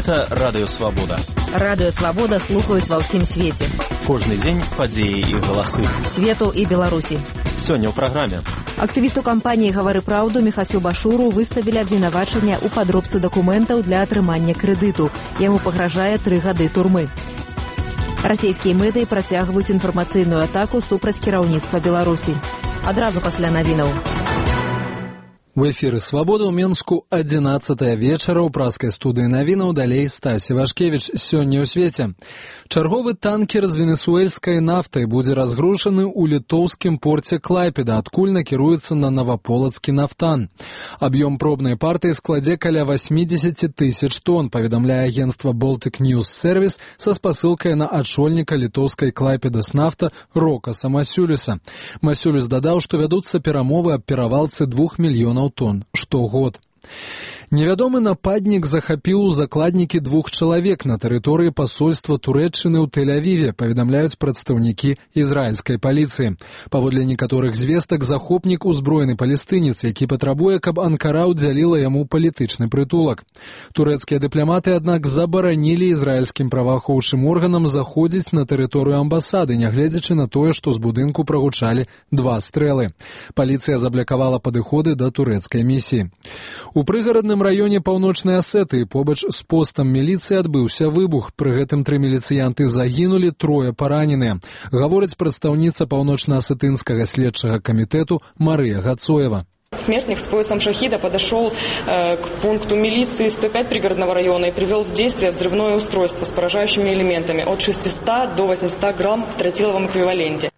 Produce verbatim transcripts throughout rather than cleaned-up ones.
Гэта Радыё Свабода. Радыё Свабода слухаюць ва ўсім свеце. Кожны дзень падзеі і галасы. Свету і Беларусі. Сёння ў праграме. Актывісту кампаніі «Гавары праўду» Міхасю Башуру выставілі абвінавачанне ў падробцы дакументаў для атрымання крэдыту. Яму пагражае тры гады турмы. Расійскія медыі працягваюць інфармацыйную атаку супраць кіраўніцтва Беларусі. Адразу пасля навінаў. В эфіры «Свабода» ў Менску адзінаццатая вечара ў праскай студыі навінаў, далей Стасі Вашкевіч. Сёння ў свеце. Чарговы танкер з венесуэльскай нафтай будзе разгружаны ў літоўскім порце Клайпеда, адкуль накіруецца на Наваполацкі нафтан. Аб'ём пробнай партыі складзе каля восемьдесят тысяч тонн, паведамляе агенцтва Baltic News Service са спасылкай на ачольніка літоўскай Клайпедас нафта Рокаса Масюліса. Масюліс дадаў, што вядуцца перамовы аб перавалцы двух мільёнаў тонн штогод. Невядомы нападнік захапіў у закладнікі двух чалавек на тэрыторыі пасольства Турэччыны ў Тель-Авіве, паведамляюць прадстаўнікі ізраільскай паліцыі. Паводле некаторых звестак, захопнік узброены палестынец, які патрабуе, каб Анкара ўдзяліла яму палітычны прытулак. Турэцкія дыпламаты, аднак, забаранілі ізраільскім праваахоўчым органам заходзіць на тэрыторыю амбасады, нягледзячы на тое, што з будынку прагучалі два стрэлы. Паліцыя заблакавала падыходы да турэцкай місіі. У прыгарадным раёне паўночнай Асетыі побач з постам міліцыі адбыўся выбух. Пры гэтым тры міліцыянты загінулі, трое параненыя. Гаворыць прадстаўніца паўночна-асетынскага следчага камітэту Марыя Гацоева. Смертник с поясом шахида подошел э, к пункту милиции сто пять пригородного района и привел в действие взрывное устройство с поражающими элементами от шестисот до восьмисот грамм в тротиловом эквиваленте.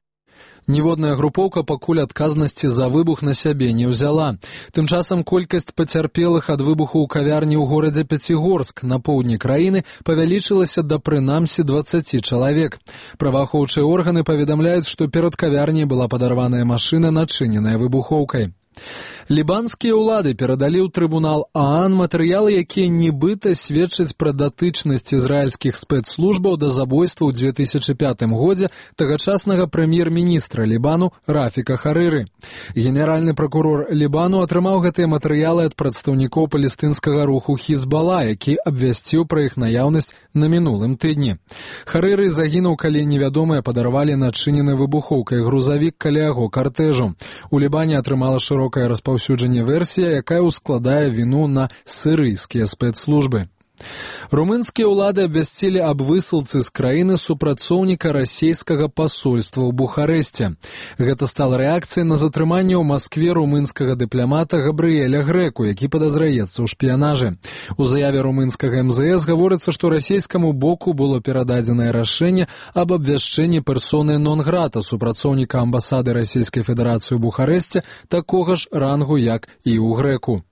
Ніводная групоўка пакуль адказнасці за выбух на сябе не ўзяла. Тым часам колькасць пацярпелых ад выбуху ў кавярні ў горадзе Пяцігорск на поўдні краіны павялічылася да прынамсі дваццаці чалавек. Праваахоўчыя органы паведамляюць, што перад кавярняй была падарваная машына, начыненая выбухоўкай. Лібанскія ўлады перадалі ў трыбунал ААН матэрыялы, якія нібыта сведчаць пра датычнасць ізраільскіх спецслужбаў да забойства ў две тысячы пятым годзе тагачаснага прэм'ер-міністра Лібану Рафіка Харыры. Генеральны пракурор Лібану атрымаў гэтыя матэрыялы ад прадстаўнікоў палестынскага руху Хізбала, які абвясціў пра іх наяўнасць на мінулым тыдні. Харыры загінуў, калі невядомыя падарвалі начынены выбухоўкай грузавік каля яго картэжу. У Лібане атрымала шырокае распаўсюджанне версія, якая ўскладае віну на сірыйскія спецслужбы. Румынскія ўлады абвясцілі аб высылцы з краіны супрацоўніка расійскага пасольства ў Бухарэсце. Гэта стала рэакцыяй на затрыманне ў Маскве румынскага дыпламата Габрыэля Грэку, які падазраецца ў шпіянажы. У заяве румынскага эм зэ эс гаворыцца, што расійскаму боку было перададзенае рашэнне аб абвяшчэнні персоны нон-грата супрацоўніка амбасады Расійскай Федэрацыі ў Бухарэсце такога ж рангу, як і ў Грэку.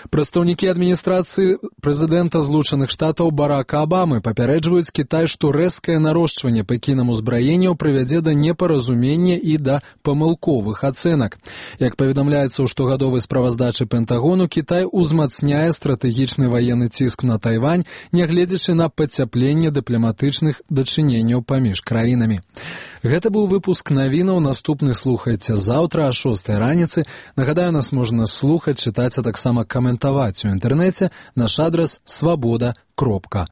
Прадстаўнікі адміністрацыі прэзідэнта Злучаных Штатаў Барака Абамы папярэджваюць Кітай, што рэзкае нарошчванне пекінам узбраенняў прывядзе да непаразумення і да памылковых ацэнак. Як паведамляецца ў штогадовай справаздачы Пентагону, Кітай узмацняе стратэгічны ваенны ціск на Тайвань, нягледзячы на пацяпленне дыпламатычных дачыненняў паміж краінамі. Гэта быў выпуск навінаў. Наступны слухайце заўтра а шостай раніцы. Нагадаю, нас можна слухаць, чытаць, а таксама каментаваць у інтэрнэце. Наш адрас свабода кропка